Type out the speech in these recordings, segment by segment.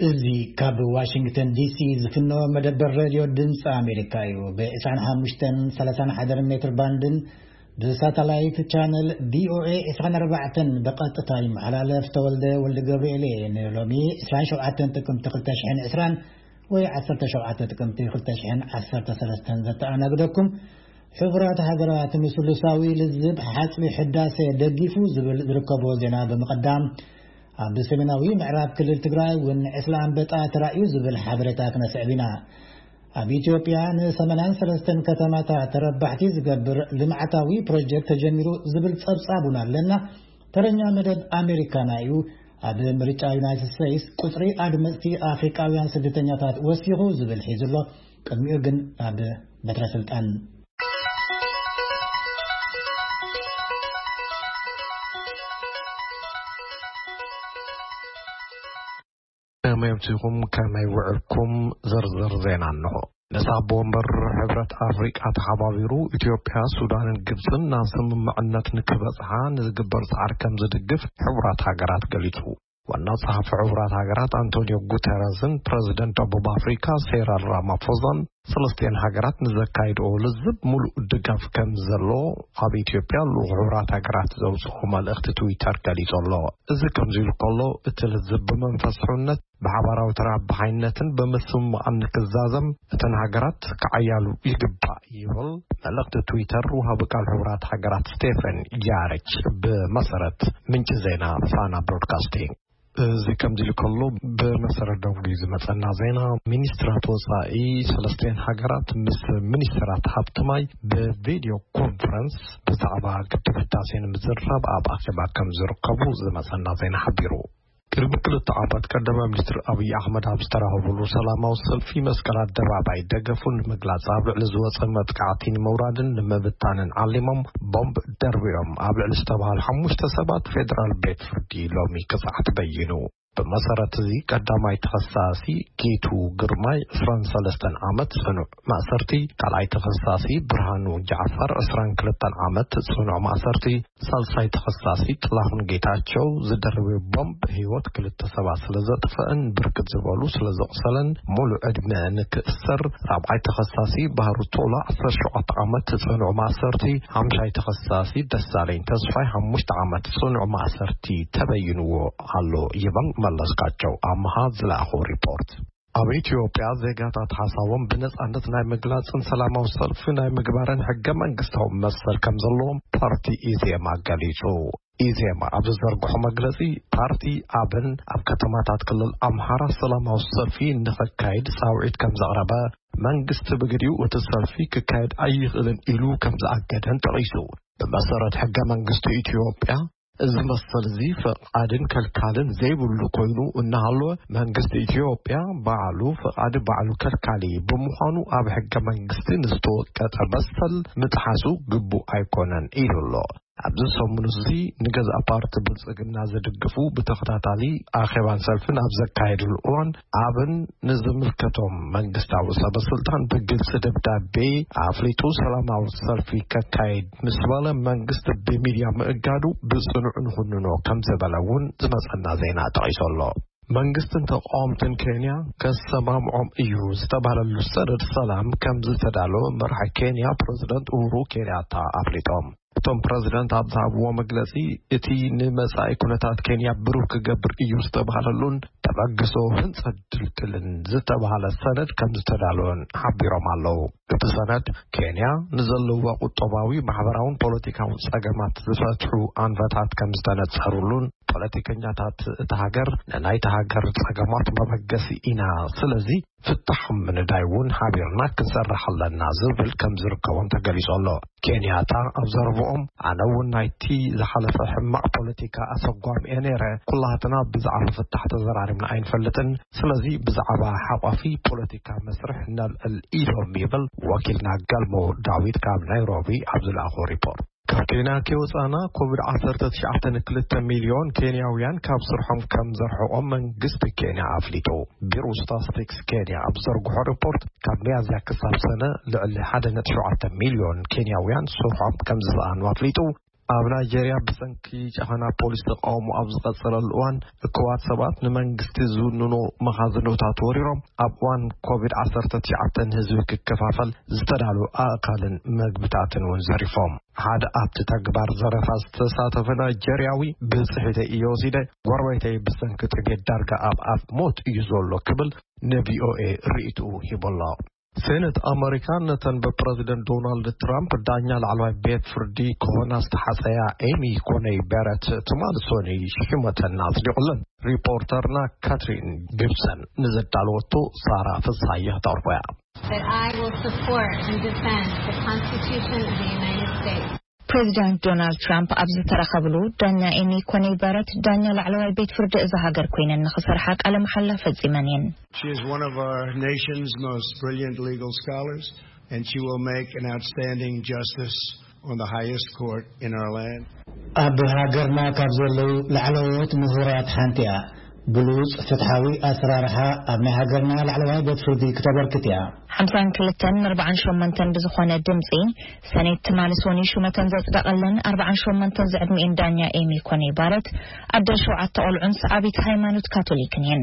እዚ ካብ ዋሽንግተን ዲሲ ዝፍኖ መደበር ሬድዮ ድምፂ ኣሜሪካ እዩ። ብ ዕስራን ሓሙሽተን ሰላሳን ሓደን ሜትር ባንድን ብሳተላይት ቻነል ቪኦኤ ዕስራን ኣርባዕተን ብቐጥታ ይመሓላለፍ። ተወልደ ወልደ ገብርኤል እየ። ንሎሚ ዕስራን ሸውዓተን ጥቅምቲ ክልተ ሽሕን ዕስራን ወይ ዓሰርተ ሸውዓተ ጥቅምቲ ክልተ ሽሕን ዓሰርተ ሰለስተን ዘተኣናግደኩም። ሕቡራት ሃገራት ንስሉሳዊ ልዝብ ሓጽቢ ሕዳሴ ደጊፉ ዝብል ዝርከቦ ዜና ብምቕዳም፣ ኣብ ሰሜናዊ ምዕራብ ክልል ትግራይ እውን ዕስለ ኣንበጣ ተራእዩ ዝብል ሓበሬታ ክነስዕብ ኢና። ኣብ ኢትዮጵያ ንሰማንያን ሰለስተን ከተማታት ተረባሕቲ ዝገብር ልምዓታዊ ፕሮጀክት ተጀሚሩ ዝብል ጸብጻብ እውን ኣለና። ተረኛ መደብ ኣሜሪካና እዩ። ኣብ ምርጫ ዩናይትድ ስቴትስ ቁጽሪ ኣድመጽቲ ኣፍሪቃውያን ስደተኛታት ወሲኹ ዝብል ሒዙ ኣሎ። ቅድሚኡ ግን ናብ በትረ ስልጣን። ከመይ ኣምሲኹም፣ ከመይ ውዕልኩም? ዝርዝር ዜና እንሆ። ንሳብ ወንበር ሕብረት ኣፍሪቃ ተሓባቢሩ ኢትዮጵያ፣ ሱዳንን ግብፅን ናብ ስምምዕነት ንክበፅሓ ንዝግበር ፃዕሪ ከም ዝድግፍ ሕቡራት ሃገራት ገሊፁ። ዋና ጸሓፊ ሕቡራት ሃገራት ኣንቶኒዮ ጉተረዝን ፕረዚደንት ደቡብ ኣፍሪካ ሴረል ራማፎዛን ሰለስቲኤን ሃገራት ንዘካይድኦ ልዝብ ሙሉእ ድጋፍ ከም ዘሎ ኣብ ኢትዮጵያ ልኡኽ ሕቡራት ሃገራት ዘውፅኦ መልእኽቲ ትዊተር ገሊጹ ኣሎ። እዚ ከምዚ ኢሉ ከሎ፣ እቲ ልዝብ ብመንፈስ ሕውነት ብሓባራዊ ተረባሓይነትን ብምስምማዕን ንክዛዘም እተን ሃገራት ክዓያሉ ይግባእ ይብል መልእኽቲ ትዊተር ወሃቢ ቃል ሕቡራት ሃገራት ስቴፈን ያረች ብመሰረት ምንጪ ዜና ፋና ብሮድካስቲንግ። እዚ ከምዚ ኢሉ ከሎ፣ ብመሰረት ደንጉዩ ዝመጸና ዜና፣ ሚኒስትራት ወጻኢ ሰለስቲኤን ሃገራት ምስ ሚኒስትራት ሃብቲ ማይ ብቪድዮ ኮንፈረንስ ብዛዕባ ግድብ ህዳሴ ንምዝራብ ኣብ ኣኼባ ከም ዝርከቡ ዝመጸና ዜና ሓቢሩ። ቅድሚ ክልተ ዓመት ቀዳማይ ሚኒስትር ኣብይ ኣሕመድ ኣብ ዝተራኸቡሉ ሰላማዊ ሰልፊ መስቀል ኣደባባይ ደገፉ ንምግላጽ ኣብ ልዕሊ ዝወጸ መጥቃዕቲ ንምውራድን ንምብታንን ዓሊሞም ቦምብ ደርቢዮም ኣብ ልዕሊ ዝተባህሉ ሓሙሽተ ሰባት ፌደራል ቤት ፍርዲ ሎሚ ክጽዓት በይኑ። ብመሰረት እዚ ቀዳማይ ተኸሳሲ ጌቱ ግርማይ ዕስራን ሰለስተን ዓመት ጽኑዕ ማእሰርቲ፣ ካልኣይ ተኸሳሲ ብርሃኑ ጃዕፋር ዕስራን ክልተን ዓመት ጽኑዕ ማእሰርቲ፣ ሳልሳይ ተኸሳሲ ጥላሁን ጌታቸው ዝደርበ ቦምብ ህይወት ክልተ ሰባት ስለ ዘጥፈአን ብርክት ዝበሉ ስለ ዘቑሰለን ሙሉእ ዕድመ ንክእሰር፣ ራብዓይ ተኸሳሲ ባህሩ ቶላ ዓሰርተ ሸውዓተ ዓመት ጽኑዕ ማእሰርቲ፣ ሓምሻይ ተኸሳሲ ደሳለኝ ተስፋይ ሓሙሽተ ዓመት ጽኑዕ ማእሰርቲ ተበይንዎ ኣሎ ይብል መለስካቸው ኣምሃ ዝለኣኾ ሪፖርት። ኣብ ኢትዮጵያ ዜጋታት ሓሳቦም ብነጻነት ናይ ምግላጽን ሰላማዊ ሰልፊ ናይ ምግባርን ሕገ መንግስታዊ መሰል ከም ዘለዎም ፓርቲ ኢዜማ ገሊጹ። ኢዜማ ኣብ ዝዘርግሖ መግለጺ፣ ፓርቲ ኣብን ኣብ ከተማታት ክልል ኣምሓራ ሰላማዊ ሰልፊ ንኸካይድ ጻውዒት ከም ዘቕረበ፣ መንግስቲ ብግዲኡ እቲ ሰልፊ ክካየድ ኣይኽእልን ኢሉ ከም ዝኣገደን ጠቒሱ። ብመሰረት ሕገ መንግስቲ ኢትዮጵያ፣ እዚ መሰል እዚ ፈቓድን ከልካልን ዘይብሉ ኮይኑ እናሃለወ፣ መንግስቲ ኢትዮጵያ ባዕሉ ፈቓዲ ባዕሉ ከልካሊ ብምዃኑ፣ ኣብ ሕገ መንግስቲ ንዝተወቀጠ መሰል ምጥሓሱ ግቡእ ኣይኮነን ኢሉ ኣሎ። ኣብዚ ሰሙን እዚ ንገዛእ ፓርቲ ብልጽግና ዝድግፉ ብተኸታታሊ ኣኼባን ሰልፍን ኣብ ዘካየድሉ እዋን፣ ኣብን ንዝምልከቶም መንግስታዊ ሰበ ስልጣን ብግልጺ ደብዳቤ ኣፍሊጡ ሰላማዊ ሰልፊ ከካይድ ምስ በለ፣ መንግስቲ ብሚድያ ምእጋዱ ብጽኑዕ ንኹንኖ ከም ዝበለ እውን ዝመጸና ዜና ጠቒሱ ኣሎ። መንግስትን ተቃወምትን ኬንያ ከሰማምዖም እዩ ዝተባህለሉ ሰነድ ሰላም ከም ዝተዳለወ መራሒ ኬንያ ፕረዚደንት ኡሁሩ ኬንያታ ኣፍሊጦም። እቶም ፕረዚደንት ኣብ ዝሃብዎ መግለጺ፣ እቲ ንመጻኢ ኩነታት ኬንያ ብሩህ ክገብር እዩ ዝተባህለሉን ተበግሶ ህንጸት ድልድልን ዝተባህለ ሰነድ ከም ዝተዳለወን ሓቢሮም ኣለዉ። እቲ ሰነድ፣ ኬንያ ንዘለዋ ቁጠባዊ፣ ማሕበራውን ፖለቲካውን ጸገማት ዝፈትሑ ኣንፈታት ከም ዝተነጸሩሉን፣ ፖለቲከኛታት እታ ሃገር ንናይታ ሃገር ጸገማት መበገሲ ኢና፣ ስለዚ ፍታሕ ምንዳይ እውን ሓቢርና ክንሰርሕ ኣለና ዝብል ከም ዝርከቦም ተገሊጹ ኣሎ። ኬንያታ ኣብ ዘረብኦም፣ ኣነ እውን ናይቲ ዝሓለፈ ሕማቕ ፖለቲካ ኣሰጓሚ እየ ነይረ። ኩላህትና ብዛዕባ ፍታሕ ተዘራሪብና ኣይንፈልጥን። ስለዚ ብዛዕባ ሓቋፊ ፖለቲካ መስርሕ ነልዕል ኢሎም ይብል ወኪልና ገልሞ ዳዊት ካብ ናይሮቢ ኣብ ዝለኣኾ ሪፖርት። ካብ ኬንያ ከይወፃና ኮቪድ ዓሰርተ ትሽዓተ ንክልተ ሚልዮን ኬንያውያን ካብ ስርሖም ከም ዘርሕቖም መንግስቲ ኬንያ ኣፍሊጡ። ቢሮ ስታስቲክስ ኬንያ ኣብ ዘርግሖ ሪፖርት ካብ ሚያዝያ ክሳብ ሰነ ልዕሊ ሓደ ነጥቢ ሸውዓተ ሚልዮን ኬንያውያን ስርሖም ከም ዝሰኣኑ ኣፍሊጡ። ኣብ ናይጀርያ ብሰንኪ ጨፈና ፖሊስ ተቃውሞ ኣብ ዝቐጸለሉ እዋን፣ እኩባት ሰባት ንመንግስቲ ዝውንኖ መኻዝኖታት ወሪሮም፣ ኣብ እዋን ኮቪድ ዓሰርተ ትሽዓተ ንህዝቢ ክከፋፈል ዝተዳለወ ኣእካልን መግብታትን እውን ዘሪፎም። ሓደ ኣብቲ ተግባር ዘረፋ ዝተሳተፈ ናይጀርያዊ፣ "ብጽሒተይ እየ ወሲደ፣ ጎረቤተይ ብሰንኪ ጥሜት ዳርጋ ኣብ ኣፍ ሞት እዩ ዘሎ" ክብል ንቪኦኤ ርእይትኡ ሂቡ ኣሎ። ሴኔት ኣመሪካ ነተን ብፕረዚደንት ዶናልድ ትራምፕ ዳኛ ላዕለዋይ ቤት ፍርዲ ክኾና ዝተሓጸያ ኤሚ ኮነይ በረት ትማሊ ሰኑይ ሽመተን ኣጽዲቑለን። ሪፖርተርና ካትሪን ጊብሰን ንዘዳለወቶ ሳራ ፍስሃየ ክተቕርቦ እያ። That I will support and defend the Constitution of the United States. ፕሬዚዳንት ዶናልድ ትራምፕ ኣብ ዝተረኸብሉ፣ ዳኛ ኤሚ ኮነይ በረት ዳኛ ላዕለዋይ ቤት ፍርዲ እዛ ሃገር ኮይነን ንኽሰርሓ ቃለ መሓላ ፈጺመን እየን። She is one of our nation's most brilliant legal scholars, and she will make an outstanding justice on the highest court in our land. ኣብ ሃገርና ካብ ዘለዉ ላዕለዎት ምሁራት ሓንቲ እያ። ብሉጽ ፍትሓዊ ኣሰራርሓ ኣብ ናይ ሃገርና ላዕለዋይ ቤት ፍርዲ ክተበርክት እያ። ሓምሳን ክልተን ንኣርባዓን ሸሞንተን ብዝኾነ ድምጺ፣ ሰኔት ትማሊ ሰኑይ ሹመተን ዘጽደቐለን ኣርባዓን ሸሞንተን ዝዕድሚኤን ዳኛ ኤሚ ኮነይ ባረት፣ ኣደ ሸውዓተ ቆልዑን ሰዓቢት ሃይማኖት ካቶሊክን እየን።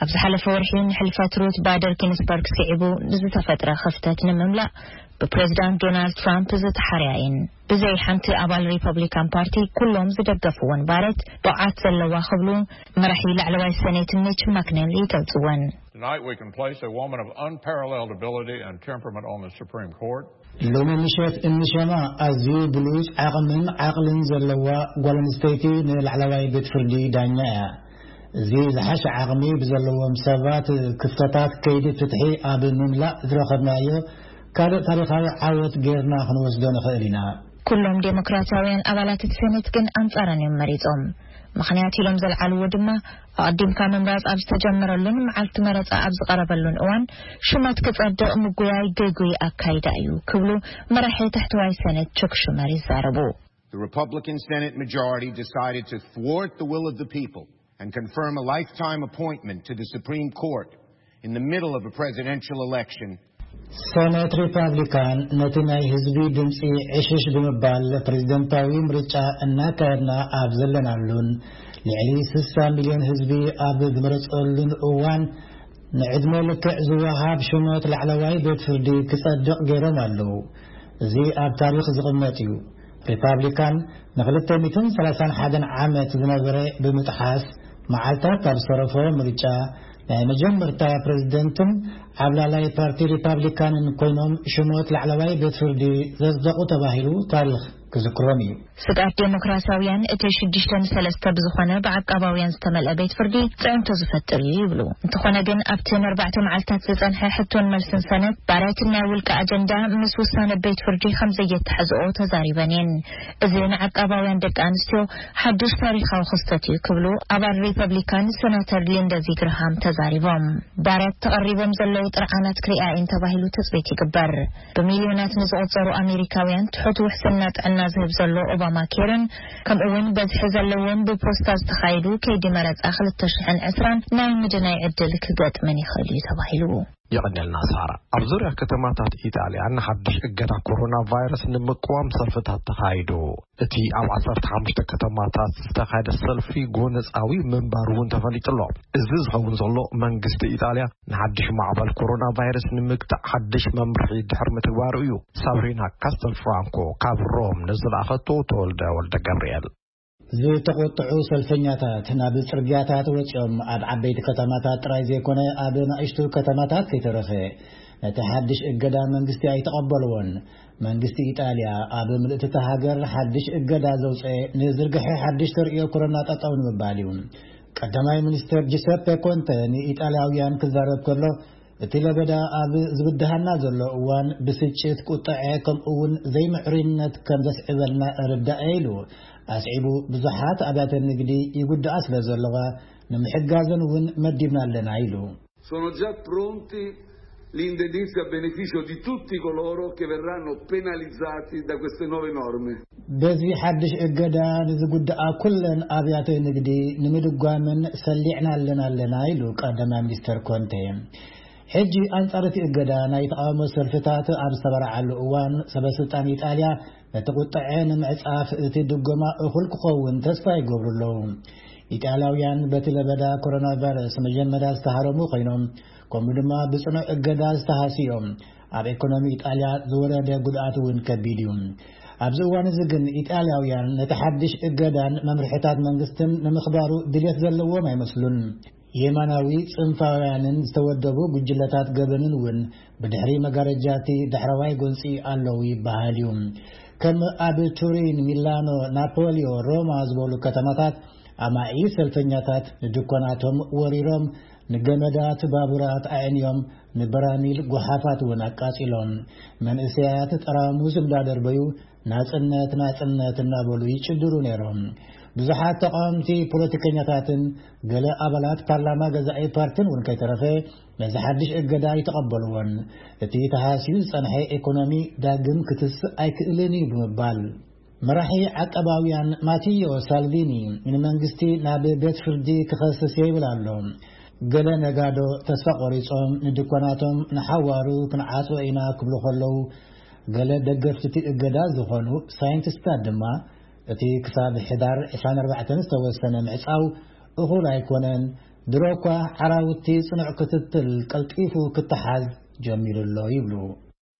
ኣብ ዝሓለፈ ወርሒ ንሕልፈት ሩት ባደር ጊንስበርግ ስዒቡ ንዝተፈጥረ ክፍተት ንምምላእ ብፕሬዚዳንት ዶናልድ ትራምፕ ዝተሓርያ እየን። ብዘይ ሓንቲ ኣባል ሪፐብሊካን ፓርቲ ኩሎም ዝደገፍወን ባረት፣ ብቕዓት ዘለዋ ክብሉ መራሒ ላዕለዋይ ሰኔት ሚች ማክኔል ይገልጽወን። Tonight we can place a woman of unparalleled ability and temperament on the Supreme Court. ሎሚ ምሸት እንሸማ ኣዝዩ ብሉጽ ዓቕምን ዓቕልን ዘለዋ ጓል ኣንስተይቲ ንላዕለዋይ ቤት ፍርዲ ዳኛ እያ። እዚ ዝሓሸ ዓቕሚ ብዘለዎም ሰባት ክፍተታት ከይዲ ፍትሒ ኣብ ምምላእ ዝረኸብናዮ ካልእ ታሪኻዊ ዓወት ጌርና ክንወስዶ ንኽእል ኢና። ኩሎም ዴሞክራሲያውያን ኣባላት እቲ ሰኔት ግን ኣንጻረን እዮም መሪጾም። ምኽንያት ኢሎም ዘልዓልዎ ድማ፣ ኣቐዲምካ ምምራጽ ኣብ ዝተጀመረሉን መዓልቲ መረጻ ኣብ ዝቐረበሉን እዋን፣ ሹመት ክጸድቕ ምጉያይ ግጉይ ኣካይዳ እዩ ክብሉ መራሒ ታሕተዋይ ሰኔት ቹክ ሹመር ይዛረቡ። The Republican Senate majority decided to thwart the will of the people and confirm a lifetime appointment to the Supreme Court in the middle of a presidential election. ሰኔት ሪፓብሊካን ነቲ ናይ ህዝቢ ድምፂ ዕሽሽ ብምባል ፕሬዝደንታዊ ምርጫ እናካየድና ኣብ ዘለናሉን ልዕሊ ስሳ ሚልዮን ህዝቢ ኣብ ዝመረፀሉን እዋን፣ ንዕድመ ልክዕ ዝወሃብ ሽሞት ላዕለዋይ ቤት ፍርዲ ክጸድቕ ገይሮም ኣለዉ። እዚ ኣብ ታሪኽ ዝቕመጥ እዩ። ሪፓብሊካን ንክልተ ሚእትን ሰላሳን ሓደን ዓመት ዝነበረ ብምጥሓስ፣ መዓልታት ካብ ዝተረፎ ምርጫ ናይ መጀመርታ ፕሬዝደንትን ዓብላላይ ፓርቲ ሪፓብሊካንን ኮይኖም ሽሞት ላዕለዋይ ቤት ፍርዲ ዘጽደቑ ተባሂሉ ታሪኽ ክዝክሮም እዩ። ስግኣት ዴሞክራሲያውያን እቲ ሽዱሽተ ንሰለስተ ብዝኾነ ብዓቃባውያን ዝተመልአ ቤት ፍርዲ ጽዕንቶ ዝፈጥር እዩ ይብሉ። እንተኾነ ግን ኣብቲ ንኣርባዕተ መዓልታት ዝጸንሐ ሕቶን መልስን ሰነት ባረት ናይ ውልቂ ኣጀንዳ ምስ ውሳነ ቤት ፍርዲ ከም ዘየተሓዝኦ ተዛሪበን እየን። እዚ ንዓቃባውያን ደቂ ኣንስትዮ ሓድሽ ታሪኻዊ ክስተት እዩ ክብሉ ኣባል ሪፐብሊካን ሴናተር ሊንደዚ ግርሃም ተዛሪቦም። ባረት ተቐሪቦም ዘለዉ ጥርዓናት ክሪኣ እየን ተባሂሉ ትጽቢት ይግበር። ብሚልዮናት ንዝቑጸሩ ኣሜሪካውያን ትሑት ውሕስና ጥዕና ዝህብ ዘሎ ኦባማ ኬርን፣ ከምኡ እውን በዝሒ ዘለዎም ብፖስታ ዝተኻየዱ ከይዲ መረጻ ክልተ ሽሕን ዕስራን ናይ ምድናይ ዕድል ክገጥመን ይኽእል እዩ ተባሂሉ። የቐንየልና ሳራ። ኣብ ዙርያ ከተማታት ኢጣልያ ንሓድሽ እገዳ ኮሮና ቫይረስ ንምቅዋም ሰልፍታት ተኻይዱ። እቲ ኣብ ዓሰርተ ሓሙሽተ ከተማታት ዝተኻየደ ሰልፊ ጎነጻዊ ምንባሩ እውን ተፈሊጡ ኣሎ። እዚ ዝኸውን ዘሎ መንግስቲ ኢጣልያ ንሓድሽ ማዕበል ኮሮና ቫይረስ ንምግታእ ሓድሽ መምርሒ ድሕሪ ምትግባሩ እዩ። ሳብሪና ካስተል ፍራንኮ ካብ ሮም ንዝለኣኸቶ ተወልደ ወልደ ገብርኤል። ዝተቖጥዑ ሰልፈኛታት ናብ ጽርግያታት ወጺኦም፣ ኣብ ዓበይቲ ከተማታት ጥራይ ዘይኮነ ኣብ ንኣሽቱ ከተማታት ከይተረፈ ነቲ ሓድሽ እገዳ መንግስቲ ኣይተቐበልዎን። መንግስቲ ኢጣልያ ኣብ ምልእቲ እታ ሃገር ሓድሽ እገዳ ዘውፀ ንዝርግሐ ሓድሽ ተርእዮ ኮሮና ጠጠው ንምባል እዩ። ቀዳማይ ሚኒስተር ጂሰፔ ኮንተ ንኢጣልያውያን ክዛረብ ከሎ፣ እቲ ለበዳ ኣብ ዝብድሃና ዘሎ እዋን ብስጭት፣ ቁጥዐ፣ ከምኡ እውን ዘይምዕሩይነት ከም ዘስዕበልና እርዳእ ኢሉ። ኣስዒቡ፣ ብዙሓት ኣብያተ ንግዲ ይጉድኣ ስለ ዘለዋ ንምሕጋዘን እውን መዲብና ኣለና ኢሉ። Sono già pronti l'indennizzi a beneficio di tutti coloro che verranno penalizzati da queste nuove norme. በዚ ሓድሽ እገዳ ንዝጉድኣ ኩለን ኣብያተ ንግዲ ንምድጓምን ሰሊዕና ኣለና ኣለና ኢሉ ቀዳማይ ሚኒስተር ኮንቴ። ሕጂ ኣንጻር እቲ እገዳ ናይ ተቓውሞ ሰልፍታት ኣብ ዝተበራዓሉ እዋን፣ ሰበ ስልጣን ኢጣልያ ነቲ ቁጥዐ ንምዕጻፍ እቲ ድጎማ እኹል ክኸውን ተስፋ ይገብሩ ኣለዉ። ኢጣልያውያን በቲ ለበዳ ኮሮና ቫይረስ መጀመርያ ዝተሃረሙ ኮይኖም፣ ከምኡ ድማ ብጽኑዕ እገዳ ዝተሃስዩ እዮም። ኣብ ኢኮኖሚ ኢጣልያ ዝወረደ ጉድኣት እውን ከቢድ እዩ። ኣብዚ እዋን እዚ ግን ኢጣልያውያን ነቲ ሓድሽ እገዳን መምርሕታት መንግስትን ንምኽባሩ ድሌት ዘለዎም ኣይመስሉን። የማናዊ ጽንፋውያንን ዝተወደቡ ጉጅለታት ገበንን እውን ብድሕሪ መጋረጃ እቲ ዳሕረዋይ ጎንጺ ኣለዉ ይበሃል እዩ። ከም ኣብ ቱሪን፣ ሚላኖ፣ ናፖሊዮ፣ ሮማ ዝበሉ ከተማታት ኣማኢ ሰልፈኛታት ንድኳናቶም ወሪሮም፣ ንገመዳት ባቡራት ኣዕንዮም፣ ንበራሚል ጓሓፋት እውን ኣቃጺሎም። መንእሰያት ጠራሙዝ እንዳደርበዩ፣ "ናጽነት፣ ናጽነት" እናበሉ ይጭድሩ ነይሮም። ብዙሓት ተቃወምቲ ፖለቲከኛታትን ገለ ኣባላት ፓርላማ ገዛኢ ፓርቲን እውን ከይተረፈ ነዚ ሓድሽ እገዳ ኣይተቐበልዎን። እቲ ተሃስዩ ዝጸንሐ ኢኮኖሚ ዳግም ክትስእ ኣይክእልን እዩ ብምባል፣ መራሒ ዓቀባውያን ማቲዮ ሳልቪኒ ንመንግስቲ ናብ ቤት ፍርዲ ክኸስስ እየ ይብል ኣሎ። ገለ ነጋዶ ተስፋ ቆሪጾም ንድኳናቶም ንሓዋሩ ክንዓጽዎ ኢና ክብሉ ከለዉ፣ ገለ ደገፍቲ እቲ እገዳ ዝኾኑ ሳይንቲስታት ድማ፣ እቲ ክሳብ ሕዳር ዕስራን ኣርባዕተን ዝተወሰነ ምዕጻው እኹል ኣይኮነን፣ ድሮ እኳ ዓራውቲ ጽኑዕ ክትትል ቀልጢፉ ክተሓዝ ጀሚሩ ኣሎ ይብሉ።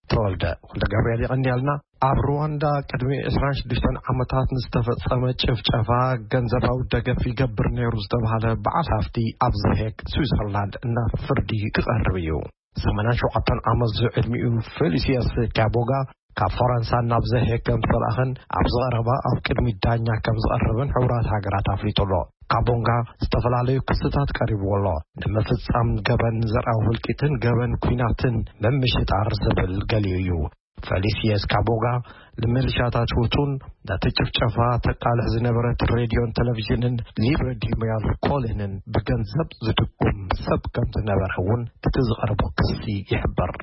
ተወልደ ወልደ ጋብርኤል የቐንያልና። ኣብ ሩዋንዳ ቅድሚ ዕስራን ሽዱሽተን ዓመታት ንዝተፈጸመ ጭፍጨፋ ገንዘባዊ ደገፍ ይገብር ነይሩ ዝተባህለ በዓል ሃፍቲ ኣብ ዘሄግ ስዊዘርላንድ ናብ ፍርዲ ክቐርብ እዩ። ሰማንያን ሸውዓተን ዓመት ዝዕድሚኡ ፌሊሲየስ ካቦጋ ካብ ፈረንሳ ናብ ዘሄግ ከም ዝተላእኸን ኣብ ዝቐረባ ኣብ ቅድሚ ዳኛ ከም ዝቐርብን ሕቡራት ሃገራት ኣፍሊጡ ኣሎ። ካቦንጋ ዝተፈላለዩ ክስታት ቀሪብዎ ኣሎ። ንምፍጻም ገበን፣ ዘርኣዊ ህልቂትን ገበን ኲናትን ምምሽጣር ዝብል ገሊኡ እዩ። ፌሊሲየስ ካቦጋ ንሚሊሻታት ሁቱን ነቲ ጭፍጨፋ ተቃልዕ ዝነበረት ሬድዮን ቴሌቪዥንን ሊብረ ዲሞያል ኮሊንን ብገንዘብ ዝድጉም ሰብ ከም ዝነበረ እውን እቲ ዝቐረቦ ክሲ ይሕብር።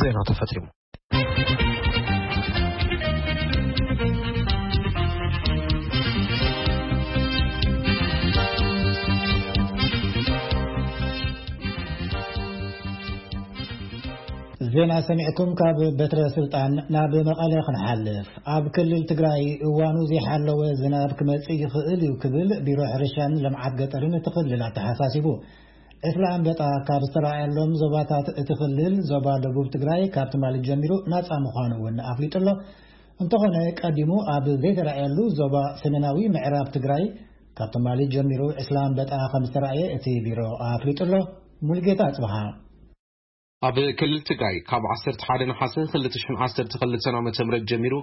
ዜና ተፈጺሙ። ዜና ሰሚዕኩም ካብ በትረ ስልጣን ናብ መቐለ ክንሓልፍ። ኣብ ክልል ትግራይ እዋኑ ዘይሓለወ ዝናብ ክመጽእ ይኽእል እዩ ክብል ቢሮ ሕርሻን ልምዓት ገጠርን እቲ ክልል ኣተሓሳሲቡ። ዕስለ ኣንበጣ ካብ ዝተረኣየሎም ዞባታት እቲ ክልል ዞባ ደቡብ ትግራይ ካብ ትማሊ ጀሚሩ ናጻ ምዃኑ እውን ኣፍሊጡ ኣሎ። እንተኾነ ቀዲሙ ኣብ ዘይተረኣየሉ ዞባ ሰሜናዊ ምዕራብ ትግራይ ካብ ትማሊ ጀሚሩ ዕስለ ኣንበጣ ከም ዝተረኣየ እቲ ቢሮ ኣፍሊጡ ኣሎ። ሙሉጌታ ኣጽብሃ። ኣብ ክልል ትግራይ ካብ ዓሰርተ ሓደ ነሓሰ ክልተ ሽሕን ዓሰርተ ክልተን ዓመተ ምህረት ጀሚሩ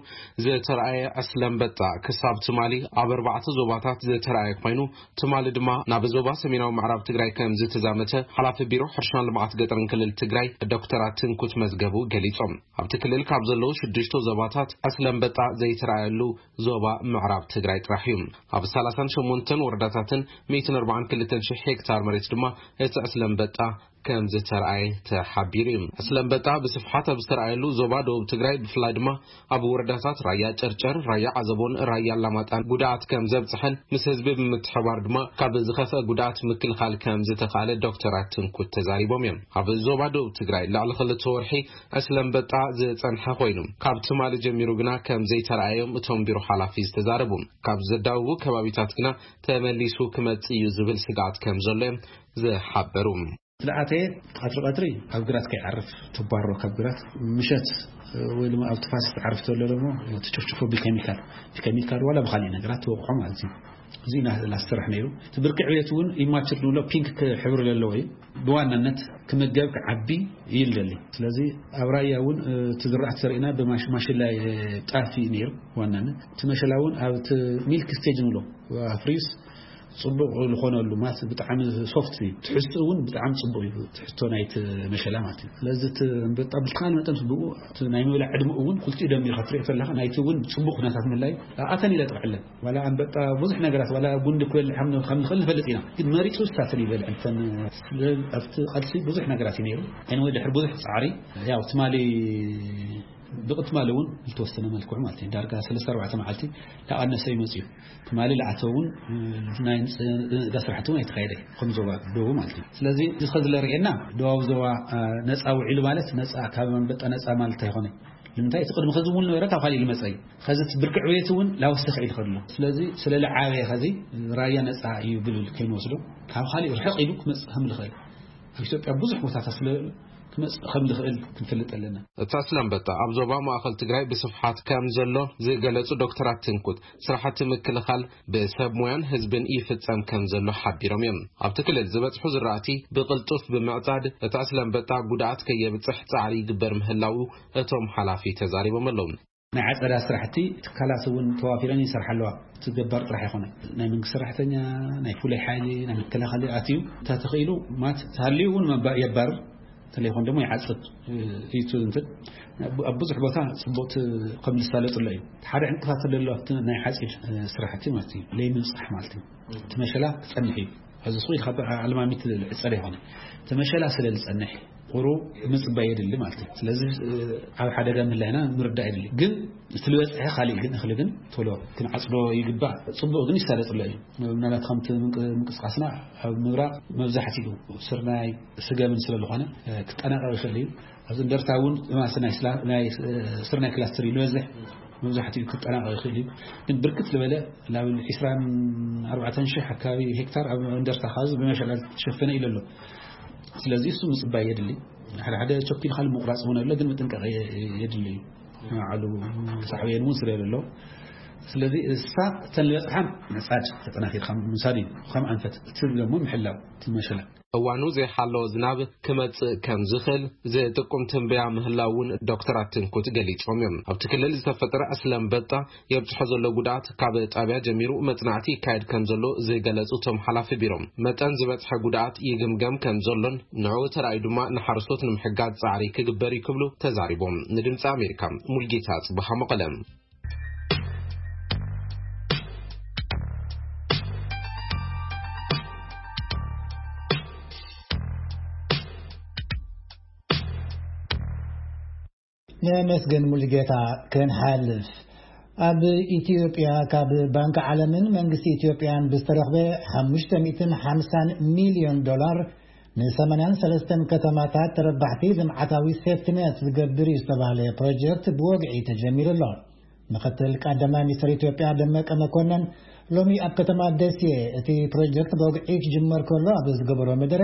ዝተረኣየ ዕስለ ኣንበጣ ክሳብ ትማሊ ኣብ ኣርባዕተ ዞባታት ዝተረኣየ ኮይኑ፣ ትማሊ ድማ ናብ ዞባ ሰሜናዊ ምዕራብ ትግራይ ከም ዝተዛመተ ሓላፊ ቢሮ ሕርሻን ልምዓት ገጠርን ክልል ትግራይ ዶክተር ኣትንኩት መዝገቡ ገሊጾም። ኣብቲ ክልል ካብ ዘለዉ ሽዱሽተ ዞባታት ዕስለ ኣንበጣ ዘይተረኣየሉ ዞባ ምዕራብ ትግራይ ጥራሕ እዩ። ኣብ ሰላሳን ሸሞንተን ወረዳታትን ሚእትን ኣርባዓን ክልተን ሽሕ ሄክታር መሬት ድማ እቲ ዕስለ ኣንበጣ ከም ዝተረኣየ ተሓቢሩ እዩ። ዕስለ ኣንበጣ ብስፍሓት ኣብ ዝተረኣየሉ ዞባ ደቡብ ትግራይ፣ ብፍላይ ድማ ኣብ ወረዳታት ራያ ጨርጨር፣ ራያ ዓዘቦን ራያ ኣላማጣን ጉድኣት ከም ዘብፅሐን ምስ ህዝቢ ብምትሕባር ድማ ካብ ዝኸፍአ ጉድኣት ምክልኻል ከም ዝተኻእለ ዶክተር ኣትንኩት ተዛሪቦም እዮም። ኣብ ዞባ ደቡብ ትግራይ ልዕሊ ክልተ ወርሒ ዕስለ ኣንበጣ ዝፀንሐ ኮይኑ፣ ካብ ትማሊ ጀሚሩ ግና ከም ዘይተረኣዮም እቶም ቢሮ ሓላፊ ዝተዛረቡ። ካብ ዘዳውቡ ከባቢታት ግና ተመሊሱ ክመጽእ እዩ ዝብል ስግኣት ከም ዘሎ እዮም ዝሓበሩ። ዝለኣተ ቀትሪ ቀትሪ ኣብ ግራት ከይዓርፍ ትባሮ፣ ካብ ግራት ምሸት ወይ ድማ ኣብ ትፋስ ትዓርፍ ዘሎ ደግሞ ትጭፍጭፎ ብኬሚካል፣ ብኬሚካል ዋላ ብካሊእ ነገራት ትወቕዖ ማለት እዩ። እዚ ኢና ዝሰርሕ ነይሩ። እቲ ብርቂ ዕብየት እውን ኢማቹር ንብሎ ፒንክ ሕብሪ ዘለዎ እዩ። ብዋናነት ክምገብ ክዓቢ እዩ ዝደሊ። ስለዚ ኣብ ራያ እውን እቲ ዝራእቲ ዘርእና ብማሽ-፣ ማሽላ ጣፍ እዩ ነይሩ። ዋናነት እቲ መሸላ እውን ኣብ እቲ ሚልክ ስቴጅ ንብሎ ኣፍሪዩስ ጽቡቕ ዝኾነሉ ማለት ብጣዕሚ ሶፍት እዩ። ትሕዝትኡ እውን ብጣዕሚ ጽቡቕ እዩ። ትሕዝቶ ናይቲ መሸላ ማለት እዩ። ስለዚ እቲ ኣንበጣ ብዝተኻለ መጠን ብኡ እቲ ናይ ምብላዕ ዕድመኡ እውን ክልቲኡ ደሚርካ ትሪኦ ከለኻ ናይቲ እውን ጽቡቕ ኩነታት ምህላዩ ኣተን ኢለ ጥቕዕለን። ዋላ ኣንበጣ ብዙሕ ነገራት ዋላ ጉንዲ ክበልዕ ከም ከም ንኽእል ንፈልጥ ኢና። ግን መሪጹ ዝሳስል ይበልዕ እንተን ስለ ኣብቲ ቃልሲ ብዙሕ ነገራት እዩ ነይሩ። Anyway ድሕሪ ብዙሕ ጻዕሪ ያው ትማሊ ብቕትማል እውን ዝተወሰነ መልክዑ ማለት እዩ። ዳርጋ ሰለስተ ኣርባዕተ መዓልቲ ላቐነሰ ይመጽእ እዩ። ትማሊ ላዕተ እውን ናይ ንፅጋ ስራሕቲ እውን ኣይተካየደ። ከም ዞባ ደቡብ ማለት እዩ። ስለዚ እዚ ከዚ ለርእየና ደቡብ ዞባ ነፃ ውዒሉ ማለት ነፃ ካብ መንበጣ ነፃ ማለት ኣይኮነ። ንምንታይ እቲ ቅድሚ ከዚ እውን ነበረ ካብ ካሊእ ልመፀ እዩ። ከዚ እቲ ብርቂ ዕብየት እውን ላወሰኸ ኢሉ ከሎ ስለዚ ስለ ልዓበየ ከዚ ራያ ነፃ እዩ ብል ከይንወስዶ ካብ ካሊእ ርሕቕ ኢሉ ክመፅእ ከም ልኽእል ኣብ ኢትዮጵያ ብዙሕ ቦታታት ስለ ክመፅእ ከም ልኽእል ክንፈልጥ ኣለና። እታ ስለንበጣ ኣብ ዞባ ማእኸል ትግራይ ብስፍሓት ከም ዘሎ ዝገለጹ ዶክተራት ትንኩት ስራሕቲ ምክልኻል ብሰብ ሞያን ህዝብን ይፍጸም ከም ዘሎ ሓቢሮም እዮም። ኣብቲ ክልል ዝበጽሑ ዝራእቲ ብቕልጡፍ ብምዕጻድ እታ ስለንበጣ ጉድኣት ከየብጽሕ ጻዕሪ ይግበር ምህላው እቶም ሓላፊ ተዛሪቦም ኣለዉ። ናይ ዓጸዳ ስራሕቲ ትካላት እውን ተዋፊረን ይሰርሓ ኣለዋ። እቲ ገባር ጥራሕ ይኮነ ናይ መንግስቲ ሰራሕተኛ ናይ ፍሉይ ሓይሊ ናይ መከላኸሊ ኣትዩ ተተኽኢሉ ማት ተሃልዩ እውን መባ- የባርር ተለይኮን ደግሞ ይዓጽድ እዩ። እንትን ኣብ ብዙሕ ቦታ ጽቡቅ ከም ዝሳለጥሎ እዩ። ሓደ ዕንቅፋት ዘሎ ኣብቲ ናይ ሓጺድ ስራሕቲ ማለት እዩ ለይ ምብጻሕ ማለት እዩ። እቲ መሸላ ክጸንሕ እዩ። እዚ ስኹ ካብ ኣልማሚት ዕጸር ይኮነ እቲ መሸላ ስለ ዝጸንሕ ቁሩ ምጽባይ የድሊ ማለት እዩ። ስለዚ ኣብ ሓደጋ ምህላይና ምርዳእ የድሊ። ግን እቲ ዝበጽሐ ካልእ ግን እኽሊ ግን ቶሎ ክንዓጽዶ ይግባእ። ጽቡቕ ግን ይሳለጥሎ እዩ። ምናልባት ከምቲ ምንቅ- ምንቅስቃስና ኣብ ምብራቕ መብዛሕትኡ ስርናይ ስገምን ስለ ዝኾነ ክጠናቀቕ ይኽእል እዩ። ኣብዚ እንደርታ እውን ማስ ናይ ስላ- ናይ ስርናይ ክላስተር እዩ ዝበዝሕ። መብዛሕትኡ ክጠናቀቕ ይኽእል እዩ። ግን ብርክት ዝበለ ናብ ዕስራን ኣርባዕተን ሽሕ ኣካባቢ ሄክታር ኣብ እንደርታ ካብ ብመሸላ ዝተሸፈነ ኢሉ ኣሎ። ስለዚ እሱ ምጽባይ የድሊ። ሓደ ሓደ ቸኪል ካል ምቁራጽ እውን ኣሎ ግን ምጥንቀቕ የድሊ እዩ። ዓሉ ሳዕብየን እውን ስለ ዘሎ ስለዚ እሳ እተን ዝበፅሓ ምዕፃድ ተጠናኺርካ ምውሳድ እዩ። ከም ኣንፈት እቲ ደግሞ ምሕላው እቲ መሸላ። እዋኑ ዘይሓለወ ዝናብ ክመጽእ ከም ዝኽእል ዝጥቁም ትንበያ ምህላው እውን ዶክተር ኣትንኩት ገሊጾም እዮም። ኣብቲ ክልል ዝተፈጠረ ኣስለምበጣ የብጽሖ ዘሎ ጉድኣት ካብ ጣብያ ጀሚሩ መጽናዕቲ ይካየድ ከም ዘሎ ዝገለጹ እቶም ሓላፊ ቢሮ፣ መጠን ዝበጽሐ ጉድኣት ይግምገም ከም ዘሎን ንዕኡ ተራእዩ ድማ ንሓረስቶት ንምሕጋዝ ጻዕሪ ክግበር እዩ ክብሉ ተዛሪቦም። ንድምጺ ኣሜሪካ ሙልጌታ ጽቡሓ መቐለ። ነመስገን ሙሉጌታ። ክንሓልፍ ኣብ ኢትዮጵያ ካብ ባንክ ዓለምን መንግስቲ ኢትዮጵያን ብዝተረኽበ ሓሙሽተ ሚእትን ሓምሳን ሚልዮን ዶላር ንሰማንያን ሰለስተን ከተማታት ተረባሕቲ ልምዓታዊ ሴፍትነት ዝገብር እዩ ዝተባህለ ፕሮጀክት ብወግዒ ተጀሚሩ ኣሎ። ምክትል ቀዳማይ ሚኒስትር ኢትዮጵያ ደመቀ መኮነን ሎሚ ኣብ ከተማ ደሴ እቲ ፕሮጀክት ብወግዒ ክጅመር ከሎ ኣብ ዝገበሮ መደረ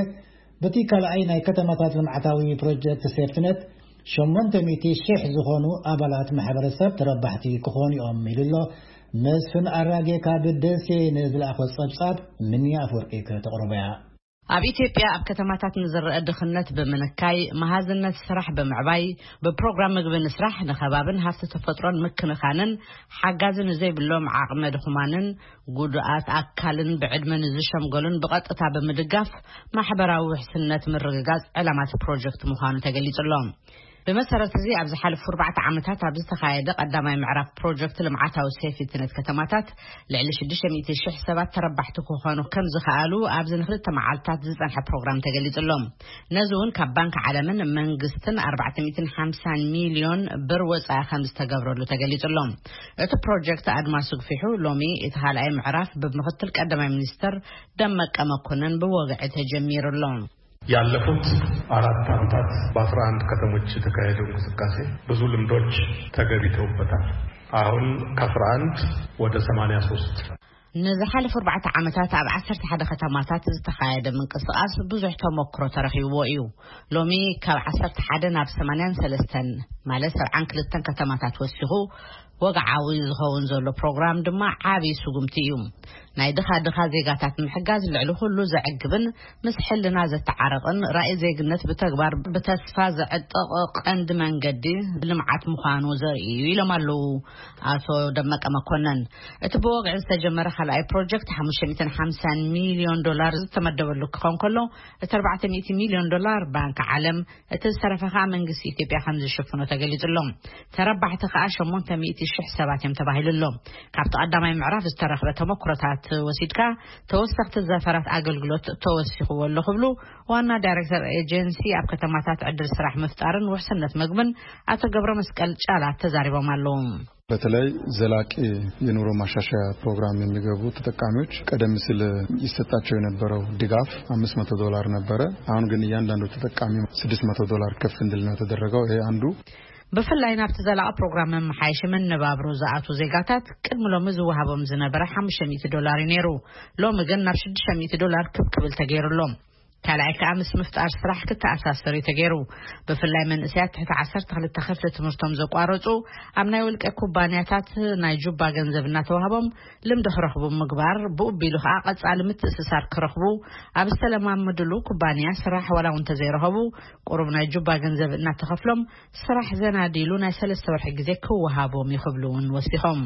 በቲ ካልኣይ ናይ ከተማታት ልምዓታዊ ፕሮጀክት ሴፍትነት ሸሞንተ ሚእቲ ሺሕ ዝኾኑ ኣባላት ማሕበረሰብ ተረባሕቲ ክኾኑ እዮም ኢሉ ኣሎ። መስፍን ኣራጌ ካብ ደሴ ንዝለኣኾ ጸብጻብ ምንያ ኣፈወርቂ ከተቕርቦ እያ። ኣብ ኢትዮጵያ ኣብ ከተማታት ንዝረአ ድኽነት ብምንካይ፣ መሃዝነት ስራሕ ብምዕባይ፣ ብፕሮግራም ምግቢ ንስራሕ ንኸባብን ሃፍቲ ተፈጥሮን ምክንኻንን ሓጋዚ ንዘይብሎም ዓቕመ ድኹማንን ጉዱኣት ኣካልን ብዕድመ ንዝሸምገሉን ብቐጥታ ብምድጋፍ ማሕበራዊ ውሕስነት ምርግጋጽ ዕላማት ፕሮጀክት ምዃኑ ተገሊጹ ኣሎ። ብመሰረት እዚ ኣብ ዝሓለፉ ኣርባዕተ ዓመታት ኣብ ዝተኻየደ ቀዳማይ ምዕራፍ ፕሮጀክት ልምዓታዊ ሴፍትነት ከተማታት ልዕሊ ሽዱሽተ ሚእቲ ሽሕ ሰባት ተረባሕቲ ክኾኑ ከም ዝኸኣሉ ኣብዚ ንክልተ መዓልታት ዝጸንሐ ፕሮግራም ተገሊጹ ኣሎ። ነዚ እውን ካብ ባንክ ዓለምን መንግስትን ኣርባዕተ ሚእትን ሓምሳን ሚልዮን ብር ወጻኢ ከም ዝተገብረሉ ተገሊጹ ኣሎ። እቲ ፕሮጀክት ኣድማሱ ግፊሑ ሎሚ እቲ ካልኣይ ምዕራፍ ብምክትል ቀዳማይ ሚኒስተር ደመቀ መኮነን ብወግዒ ተጀሚሩ ኣሎ። ያለፉት አራት ዓመታት በአስራ አንድ ከተሞች የተካሄደው እንቅስቃሴ ብዙ ልምዶች ተገቢተውበታል። አሁን ከአስራ አንድ ወደ ሰማንያ ሶስት ንዝሓለፉ ኣርባዕተ ዓመታት ኣብ ዓሰርተ ሓደ ከተማታት ዝተኻየደ ምንቅስቃስ ብዙሕ ተመክሮ ተረኺብዎ እዩ። ሎሚ ካብ ዓሰርተ ሓደ ናብ ሰማንያን ሰለስተን ማለት ሰብዓን ክልተን ከተማታት ወሲኹ ወግዓዊ ዝኸውን ዘሎ ፕሮግራም ድማ ዓብዪ ስጉምቲ እዩ። ናይ ድኻ ድኻ ዜጋታት ምሕጋዝ ልዕሊ ኩሉ ዘዕግብን ምስ ሕልና ዘተዓረቕን ራእይ ዜግነት ብተግባር ብተስፋ ዘዕጥቕ ቀንዲ መንገዲ ልምዓት ምዃኑ ዘርኢ እዩ ኢሎም ኣለዉ ኣቶ ደመቀ መኮነን። እቲ ብወግዒ ዝተጀመረ ካልኣይ ፕሮጀክት ሓሙሽተ ሚእትን ሓምሳን ሚልዮን ዶላር ዝተመደበሉ ክኸውን ከሎ እቲ ኣርባዕተ ሚእቲ ሚልዮን ዶላር ባንክ ዓለም እቲ ዝተረፈ ከዓ መንግስቲ ኢትዮጵያ ከም ዝሽፍኖ ተገሊጹ ኣሎ። ተረባሕቲ ከዓ ሸሞንተ ሚእቲ ሽሕ ሰባት እዮም ተባሂሉ ኣሎ። ካብቲ ቀዳማይ ምዕራፍ ዝተረኽበ ተመክሮታት ወሲድካ ተወሰኽቲ ዘፈራት ኣገልግሎት ተወሲኽዎ ኣሎ ክብሉ ዋና ዳይሬክተር ኤጀንሲ ኣብ ከተማታት ዕድል ስራሕ ምፍጣርን ውሕስነት ምግብን ኣቶ ገብረ መስቀል ጫላ ተዛሪቦም ኣለዉ። በተለይ ዘላቂ የኑሮ ማሻሻያ ፕሮግራም የሚገቡ ተጠቃሚዎች ቀደም ሲል ይሰጣቸው የነበረው ድጋፍ አምስት መቶ ዶላር ነበረ። አሁን ግን እያንዳንዱ ተጠቃሚ ስድስት መቶ ዶላር ከፍ እንድል ነው የተደረገው። ይሄ አንዱ ብፍላይ ናብቲ ዘላቂ ፕሮግራም መመሓየሺ መነባብሮ ዝኣቱ ዜጋታት ቅድሚ ሎሚ ዝወሃቦም ዝነበረ ሓሙሽተ ሚእቲ ዶላር እዩ ነይሩ። ሎሚ ግን ናብ ሽዱሽተ ሚእቲ ዶላር ክብ ክብል ተገይሩ ኣሎ። ካልኣይ ከኣ ምስ ምፍጣር ስራሕ ክተኣሳሰር እዩ ተገይሩ። ብፍላይ መንእሰያት ትሕቲ ዓሰርተ ክልተ ክፍሊ ትምህርቶም ዘቋረጹ ኣብ ናይ ውልቀ ኩባንያታት ናይ ጁባ ገንዘብ እናተዋህቦም ልምዲ ክረኽቡ ምግባር፣ ብኡ ቢሉ ከኣ ቀጻሊ ምትእስሳር ክረኽቡ ኣብ ዝተለማመድሉ ኩባንያ ስራሕ ዋላ እውን እንተዘይረኸቡ ቁሩብ ናይ ጁባ ገንዘብ እናተኸፍሎም ስራሕ ዘናዲሉ ናይ ሰለስተ ወርሒ ግዜ ክወሃቦም እዩ ክብሉ እውን ወሲኾም።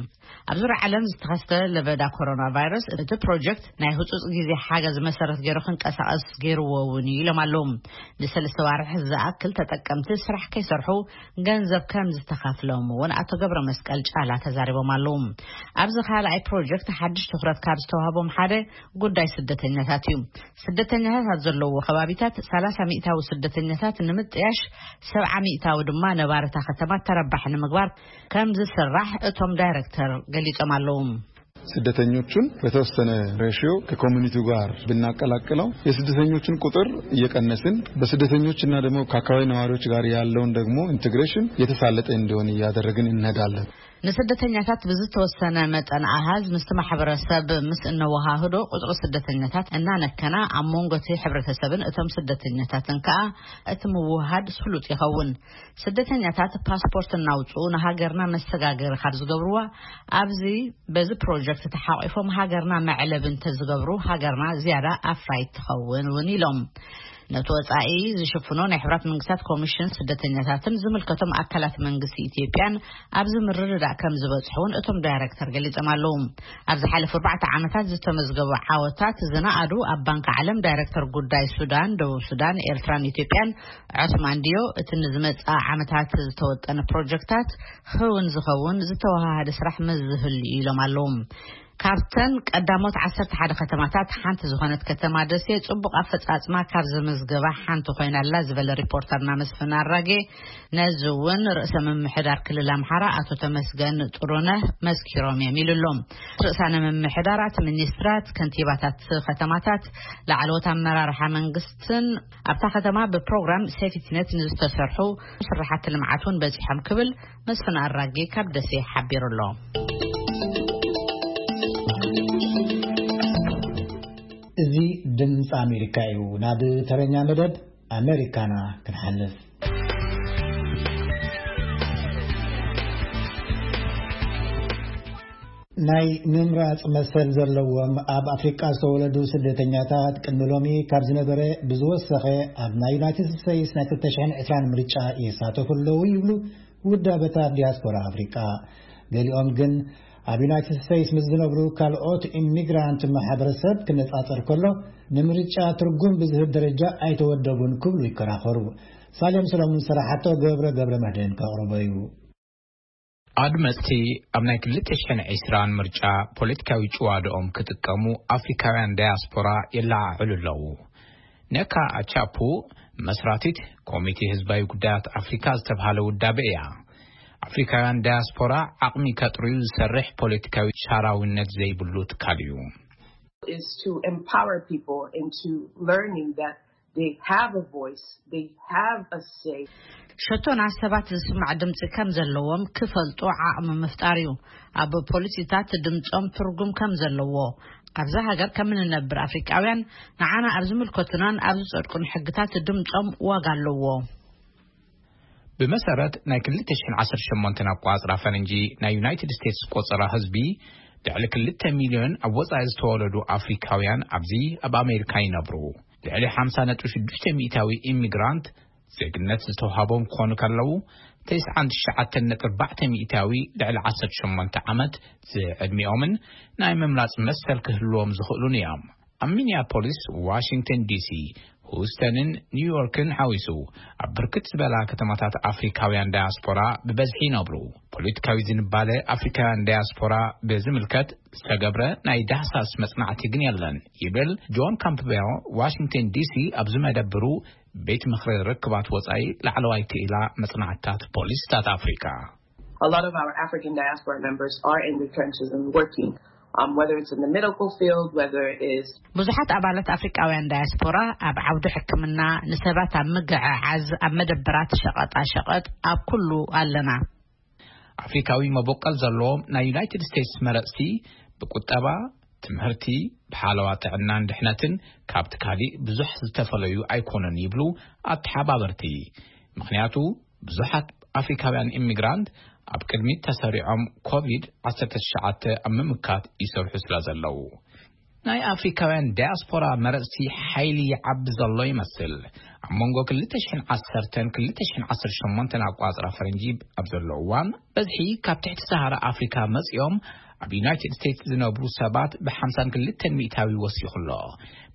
ኣብ ዙርያ ዓለም ዝተኸስተ ለበዳ ኮሮና ቫይረስ እቲ ፕሮጀክት ናይ ህጹጽ ግዜ ሓገዝ መሰረት ገይሩ ክንቀሳቐስ ገይርዎ እውን እዩ ኢሎም ኣለዉ። ንሰለስተ ዋርሕ ዝኣክል ተጠቀምቲ ስራሕ ከይሰርሑ ገንዘብ ከም ዝተኸፍሎም እውን ኣቶ ገብረ መስቀል ጫላ ተዛሪቦም ኣለዉ። ኣብዚ ካልኣይ ፕሮጀክት ሓድሽ ትኹረት ካብ ዝተዋህቦም ሓደ ጉዳይ ስደተኛታት እዩ። ስደተኛታት ኣብ ዘለዎ ከባቢታት ሰላሳ ሚእታዊ ስደተኛታት ንምጥያሽ፣ ሰብዓ ሚእታዊ ድማ ነባርታ ከተማ ተረባሒ ንምግባር ከም ዝስራሕ እቶም ዳይሬክተር ገሊጾም ኣለዉ። ስደተኞቹን በተወሰነ ሬሽዮ ከኮሚኒቲው ጋር ብናቀላቅለው የስደተኞችን ቁጥር እየቀነስን በስደተኞችና ደግሞ ከአካባቢ ነዋሪዎች ጋር ያለውን ደግሞ ኢንቴግሬሽን የተሳለጠ እንዲሆን እያደረግን እንሄዳለን። ንስደተኛታት ብዝተወሰነ መጠን ኣሃዝ ምስቲ ማሕበረሰብ ምስ እነወሃህዶ ቁፅሪ ስደተኛታት እናነከና ኣብ መንጎ እቲ ሕብረተሰብን እቶም ስደተኛታትን ከዓ እቲ ምውሃድ ስሉጥ ይኸውን። ስደተኛታት ፓስፖርት እናውፅኡ ንሃገርና መሰጋገሪ ካብ ዝገብርዋ ኣብዚ በዚ ፕሮጀክት ተሓቂፎም ሃገርና መዕለቢ እንተዝገብሩ ሃገርና ዝያዳ ኣፍራይት ትኸውን እውን ኢሎም። ነቲ ወጻኢ ዝሽፍኖ ናይ ሕብራት መንግስታት ኮሚሽን ስደተኛታትን ዝምልከቶም ኣካላት መንግስቲ ኢትዮጵያን ኣብዚ ምርድዳእ ከም ዝበጽሑ እውን እቶም ዳይሬክተር ገሊጾም ኣለዉ። ኣብ ዝሓለፉ ኣርባዕተ ዓመታት ዝተመዝገቡ ዓወታት ዝነኣዱ ኣብ ባንክ ዓለም ዳይሬክተር ጉዳይ ሱዳን፣ ደቡብ ሱዳን፣ ኤርትራን ኢትዮጵያን ዑስማን ዲዮ እቲ ንዝመጽእ ዓመታት ዝተወጠነ ፕሮጀክታት ህውን ዝኸውን ዝተወሃሃደ ስራሕ መዝህሉ ኢሎም ኣለዉ። ካብተን ቀዳሞት ዓሰርተ ሓደ ከተማታት ሓንቲ ዝኾነት ከተማ ደሴ ጽቡቕ ኣፈጻጽማ ካብ ዘመዝገባ ሓንቲ ኮይና ኣላ ዝበለ ሪፖርተርና መስፍን ኣራጌ፣ ነዚ እውን ርእሰ ምምሕዳር ክልል ኣምሓራ ኣቶ ተመስገን ጥሩነህ መስኪሮም እዮም ኢሉ ኣሎ። ርእሳነ ምምሕዳራት፣ ሚኒስትራት፣ ከንቲባታት ከተማታት፣ ላዕለዎት ኣመራርሓ መንግስትን ኣብታ ከተማ ብፕሮግራም ሴፍቲኔት ንዝተሰርሑ ስራሓት ልምዓት እውን በጺሖም ክብል መስፍን ኣራጌ ካብ ደሴ ሓቢሩ ኣሎ። እዚ ድምፂ ኣሜሪካ እዩ። ናብ ተረኛ መደብ ኣሜሪካና ክንሓልፍ። ናይ ምምራፅ መሰል ዘለዎም ኣብ ኣፍሪቃ ዝተወለዱ ስደተኛታት ቅድሚ ሎሚ ካብ ዝነበረ ብዝወሰኸ ኣብ ናይ ዩናይትድ ስቴትስ ናይ ክልተ ሽሕን ዕስራን ምርጫ ይሳተፉ ኣለዉ ይብሉ ውዳበታት ዲያስፖራ ኣፍሪቃ። ገሊኦም ግን ኣብ ዩናይትድ ስቴትስ ምስ ዝነብሩ ካልኦት ኢሚግራንት ማሕበረሰብ ክነጻጸር ከሎ ንምርጫ ትርጉም ብዝህብ ደረጃ ኣይተወደቡን ክብሉ ይከራኸሩ። ሳሌም ሰለሙን ዝሰራሓቶ ገብረ ገብረ መድህን ከቕርቦ እዩ። ኣድመፅቲ ኣብ ናይ ክልተ ሽሕን ዕስራን ምርጫ ፖለቲካዊ ጭዋድኦም ክጥቀሙ ኣፍሪካውያን ዳያስፖራ የለዓዕሉ ኣለዉ። ነካ ኣቻፑ መስራቲት ኮሚቴ ህዝባዊ ጉዳያት ኣፍሪካ ዝተብሃለ ውዳበ እያ። ኣፍሪካውያን ዳያስፖራ ዓቕሚ ከጥርዩ ዝሰርሕ ፖለቲካዊ ሻራዊነት ዘይብሉ ትካል እዩ። Is to empower people into learning that they have a voice, they have a say. ሸቶና ሰባት ዝስማዕ ድምፂ ከም ዘለዎም ክፈልጡ ዓቕሚ ምፍጣር እዩ። ኣብ ፖሊሲታት ድምፆም ትርጉም ከም ዘለዎ፣ ኣብዛ ሃገር ከም እንነብር ኣፍሪቃውያን ንዓና ኣብ ዝምልከቱናን ኣብ ዝጸድቁን ሕግታት ድምፆም ዋጋ ኣለዎ። ብመሰረት ናይ ክልተ ሽሕን ዓሰርተ ሸሞንተን ኣቋጽራ ፈረንጂ ናይ ዩናይትድ ስቴትስ ቆጸራ ህዝቢ፣ ልዕሊ ክልተ ሚልዮን ኣብ ወጻኢ ዝተወለዱ ኣፍሪካውያን ኣብዚ ኣብ ኣሜሪካ ይነብሩ። ልዕሊ ሓምሳ ነጥቢ ሽዱሽተ ሚእታዊ ኢሚግራንት ዜግነት ዝተውሃቦም ክኾኑ ከለዉ፣ ተስዓን ትሽዓተን ነጥቢ ኣርባዕተ ሚእታዊ ልዕሊ ዓሰርተ ሸሞንተ ዓመት ዝዕድሚኦምን ናይ ምምራጽ መሰል ክህልዎም ዝኽእሉን እዮም። ኣብ ሚኒያፖሊስ፣ ዋሽንግተን ዲሲ፣ ሁስተንን ኒውዮርክን ሓዊሱ ኣብ ብርክት ዝበላ ከተማታት ኣፍሪካውያን ዳያስፖራ ብበዝሒ ይነብሩ። ፖለቲካዊ ዝንባለ ኣፍሪካውያን ዳያስፖራ ብዝምልከት ዝተገብረ ናይ ዳህሳስ መጽናዕቲ ግን የለን ይብል ጆን ካምፕቤል፣ ዋሽንግተን ዲሲ ኣብ ዝመደብሩ ቤት ምኽሪ ርክባት ወጻኢ ላዕለዋይ ክኢላ መጽናዕትታት ፖሊሲታት ኣፍሪካ። A lot of our African diaspora members are in the trenches and working, um, whether it's in the medical field, whether it is ብዙሓት ኣባላት ኣፍሪቃውያን ዳያስፖራ ኣብ ዓውዲ ሕክምና፣ ንሰባት ኣብ ምግዕዓዝ፣ ኣብ መደብራት ሸቐጣ ሸቐጥ፣ ኣብ ኩሉ ኣለና። ኣፍሪካዊ መበቆል ዘለዎም ናይ ዩናይትድ ስቴትስ መረጽቲ ብቁጠባ፣ ትምህርቲ፣ ብሓለዋ ጥዕናን ድሕነትን ካብቲ ካሊእ ብዙሕ ዝተፈለዩ ኣይኮኑን ይብሉ ኣተሓባበርቲ። ምኽንያቱ ብዙሓት ኣፍሪካውያን ኢሚግራንት ኣብ ቅድሚት ተሰሪዖም ኮቪድ ዓሰርተ ትሽዓተ ኣብ ምምካት ይሰርሑ ስለ ዘለዉ። ናይ ኣፍሪካውያን ዳያስፖራ መረጽቲ ሓይሊ ይዓቢ ዘሎ ይመስል። ኣብ መንጎ ክልተ ሽሕን ዓሰርተን ክልተ ሽሕን ዓሰርተ ሸሞንተን ኣቋጽራ ፈረንጂ ኣብ ዘሎ እዋን በዝሒ ካብ ትሕቲ ሰሃራ ኣፍሪካ መጺኦም ኣብ ዩናይትድ ስቴትስ ዝነብሩ ሰባት ብ ሓምሳን ክልተን ሚእታዊ ወሲኹ ኣሎ።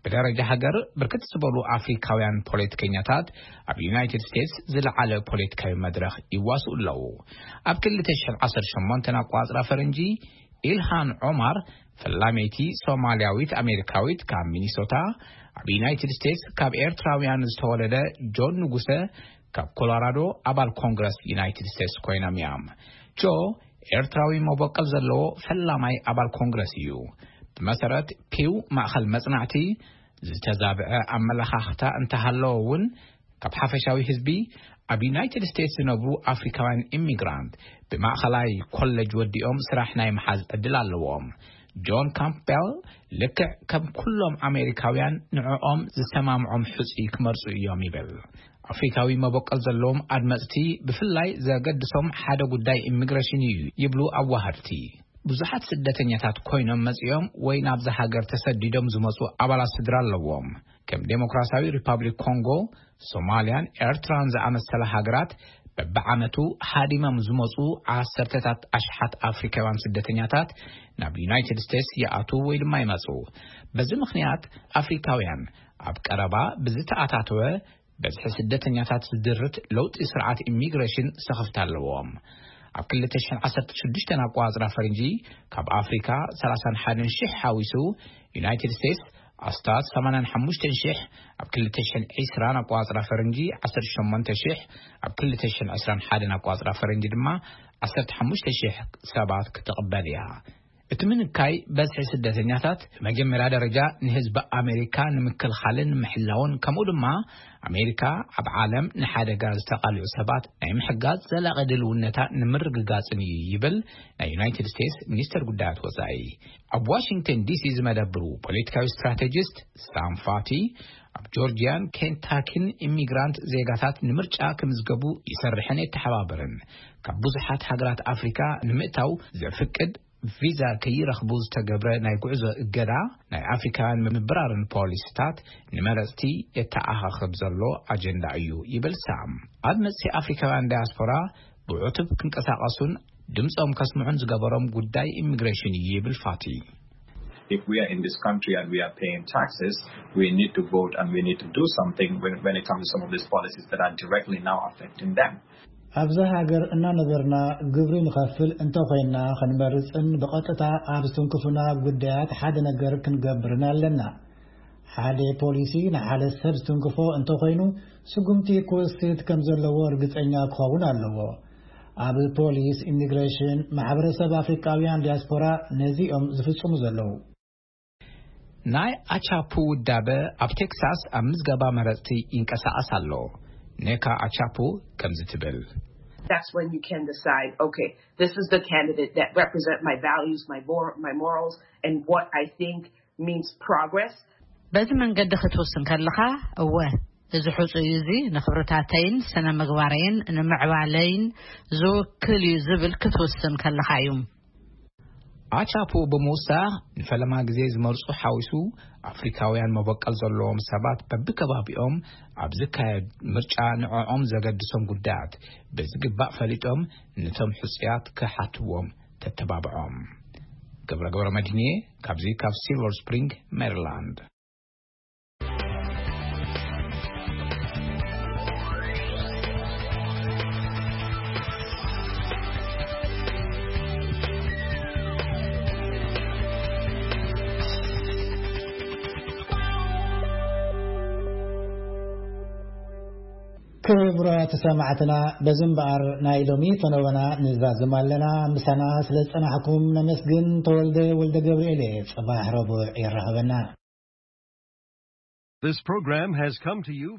ብደረጃ ሃገር ብርክት ዝበሉ ኣፍሪካውያን ፖለቲከኛታት ኣብ ዩናይትድ ስቴትስ ዝለዓለ ፖለቲካዊ መድረኽ ይዋስኡ ኣለዉ። ኣብ ክልተ ሽሕን ዓሰርተ ሸሞንተን ኣቋጽራ ፈረንጂ ኢልሃን ዖማር ፈላመይቲ ሶማልያዊት ኣሜሪካዊት ካብ ሚኒሶታ ኣብ ዩናይትድ ስቴትስ ካብ ኤርትራውያን ዝተወለደ ጆን ንጉሰ ካብ ኮሎራዶ ኣባል ኮንግረስ ዩናይትድ ስቴትስ ኮይኖም እዮም። ጆ ኤርትራዊ መበቀል ዘለዎ ፈላማይ ኣባል ኮንግረስ እዩ። ብመሰረት ፒው ማእኸል መጽናዕቲ ዝተዛብዐ ኣመለኻኽታ እንተሃለወ እውን ካብ ሓፈሻዊ ህዝቢ ኣብ ዩናይትድ ስቴትስ ዝነብሩ ኣፍሪካውያን ኢሚግራንት ብማእኸላይ ኮለጅ ወዲኦም ስራሕ ናይ ምሓዝ ዕድል ኣለዎም። ጆን ካምፕቤል ልክዕ ከም ኩሎም ኣሜሪካውያን ንዕኦም ዝሰማምዖም ሕፁይ ክመርፁ እዮም ይብል። ኣፍሪካዊ መበቀል ዘለዎም ኣድመፅቲ ብፍላይ ዘገድሶም ሓደ ጉዳይ ኢሚግሬሽን እዩ ይብሉ ኣዋሃድቲ። ብዙሓት ስደተኛታት ኮይኖም መጺኦም ወይ ናብዚ ሃገር ተሰዲዶም ዝመጹ ኣባላት ስድራ ኣለዎም። ከም ዴሞክራሲያዊ ሪፓብሊክ ኮንጎ፣ ሶማልያን ኤርትራን ዝኣመሰላ ሃገራት በብዓመቱ ሃዲሞም ዝመጹ ዓሰርተታት ኣሽሓት ኣፍሪካውያን ስደተኛታት ናብ ዩናይትድ ስቴትስ ይኣትዉ ወይ ድማ ይመጹ። በዚ ምኽንያት ኣፍሪካውያን ኣብ ቀረባ ብዝተኣታተወ በዝሒ ስደተኛታት ዝድርት ለውጢ ስርዓት ኢሚግሬሽን ስኽፍታ ኣለዎም። ኣብ ክልተ ሽሕን ዓሰርተ ሽዱሽተን ኣቋጽራ ፈረንጂ ካብ ኣፍሪካ ሰላሳን ሓደን ሽሕ ሓዊሱ ዩናይትድ ስቴትስ ኣስታት ሰማንያን ሓሙሽተን ሽሕ፣ ኣብ ክልተ ሽሕን ዕስራን ኣቋጽራ ፈረንጂ ዓሰርተ ሸሞንተ ሽሕ፣ ኣብ ክልተ ሽሕን ዕስራን ሓደን ኣቋጽራ ፈረንጂ ድማ ዓሰርተ ሓሙሽተ ሽሕ ሰባት ክትቕበል እያ። እቲ ምንካይ በዝሒ ስደተኛታት ብመጀመርያ ደረጃ ንህዝቢ ኣሜሪካ ንምክልኻልን ምሕላውን ከምኡ ድማ ኣሜሪካ ኣብ ዓለም ንሓደጋ ዝተቓልዑ ሰባት ናይ ምሕጋዝ ዘላቒ ድልውነታ ንምርግጋጽን እዩ ይብል ናይ ዩናይትድ ስቴትስ ሚኒስተር ጉዳያት ወጻኢ። ኣብ ዋሽንግተን ዲሲ ዝመደብሩ ፖለቲካዊ ስትራቴጂስት ሳም ፋቲ ኣብ ጆርጂያን ኬንታኪን ኢሚግራንት ዜጋታት ንምርጫ ክምዝገቡ ይሰርሕን የተሓባበርን። ካብ ብዙሓት ሃገራት ኣፍሪካ ንምእታው ዘፍቅድ ቪዛ ከይረኽቡ ዝተገብረ ናይ ጉዕዞ እገዳ ናይ ኣፍሪካውያን ምብራርን ፖሊሲታት ንመረፅቲ የተኣኻኽብ ዘሎ ኣጀንዳ እዩ ይብል ሳም። ኣብ መፅኢ ኣፍሪካውያን ዳያስፖራ ብዕቱብ ክንቀሳቐሱን ድምፆም ከስምዑን ዝገበሮም ጉዳይ ኢሚግሬሽን እዩ ይብል ፋቲ። If we are in this country and we are paying taxes, we need to vote and we need to do something when, when it comes to some of these policies that are directly now affecting them. ኣብዛ ሃገር እናነበርና ግብሪ ንኸፍል እንተኾይንና ክንመርፅን ብቐጥታ ኣብ ዝትንክፉና ጉዳያት ሓደ ነገር ክንገብርን ኣለና። ሓደ ፖሊሲ ንሓደ ሰብ ዝትንክፎ እንተኾይኑ ስጉምቲ ክወስድ ከም ዘለዎ ርግፀኛ ክኸውን ኣለዎ። ኣብ ፖሊስ፣ ኢሚግሬሽን፣ ማሕበረሰብ ኣፍሪካውያን ዲያስፖራ ነዚኦም ዝፍፅሙ ዘለዉ። ናይ ኣቻፑ ውዳበ ኣብ ቴክሳስ ኣብ ምዝገባ መረፅቲ ይንቀሳቐስ ኣሎ። ኔካ ኣቻፑ ከምዚ ትብል። That's when you can decide, okay, this is the candidate that represent my values, my mor- my morals, and what I think means progress. በዚ መንገዲ ክትውስን ከለኻ፣ እወ፣ እዚ ሕጹይ እዚ ንኽብርታተይን ስነ ምግባረይን ንምዕባለይን ዝውክል እዩ ዝብል ክትውስን ከለኻ እዩ። ኣቻፑ ብምውሳኽ ንፈለማ ግዜ ዝመርጹ ሓዊሱ ኣፍሪካውያን መበቀል ዘለዎም ሰባት በብከባቢኦም ኣብ ዝካየድ ምርጫ ንዕኦም ዘገድሶም ጉዳያት ብዝግባእ ፈሊጦም ነቶም ሕጹያት ክሓትዎም ተተባብዖም። ገብረ ገብረ መድህንየ ካብዚ ካብ ሲልቨር ስፕሪንግ ሜሪላንድ። ክቡራት ሰማዕትና፣ በዚ እምበኣር ናይ ሎሚ ፈነወና ንዛዝም ኣለና። ምሳና ስለ ዝጸናሕኩም ነመስግን። ተወልደ ወልደ ገብርኤል እየ። ጽባሕ ረቡዕ የራኽበና። This program has come to you